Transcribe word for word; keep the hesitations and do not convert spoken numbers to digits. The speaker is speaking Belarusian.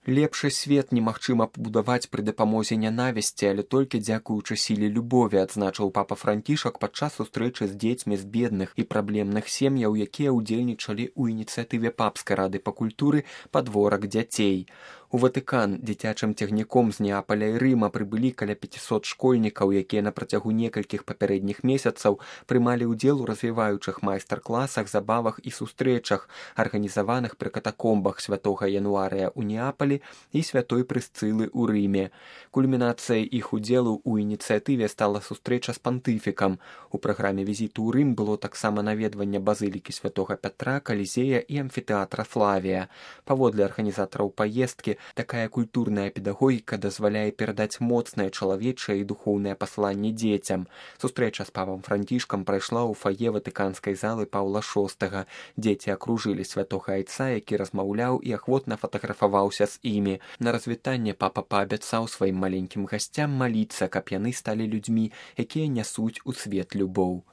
Лепшы свет немагчыма пабудаваць пры дапамозе нянавісці, але толькі дзякуючы сіле любові, адзначыў папа Францішак падчас сустрэчы з дзецьмі з бедных і праблемных сем'яў, якія ўдзельнічалі ў ініцыятыве папскай рады па культуры «Падворак дзяцей». У Ватыкан дзіцячым цягніком з Неапаля і Рыма прыбылі каля пяцісот школьнікаў, якія на працягу некалькіх папярэдніх месяцаў прымалі ўдзел у развіваючых майстар-класах, забавах і сустрэчах, арганізаваных пры катакомбах святога Януарыя ў Неапалі і святой Прысцылы ў Рыме. Кульмінацыяй іх удзелу ў ініцыятыве стала сустрэча з пантыфікам. У праграме візіту ў Рым было таксама наведванне базылікі святога Пятра, Калізея і амфітэатра Флавія. Паводле арганізатараў паездкі, такая культурная педагогіка дазваляе перадаць моцнае чалавечае і духоўнае пасланне дзецям. Сустрэча з папам Францішкам прайшла ў фае ватыканскай залы Паўла шостага. Дзеці акружылі святога айца, які размаўляў і ахвотна фатаграфаваўся з імі. На развітанне папа паабяцаў сваім маленькім гасцям маліцца, каб яны сталі людзьмі, якія нясуць у свет любоў.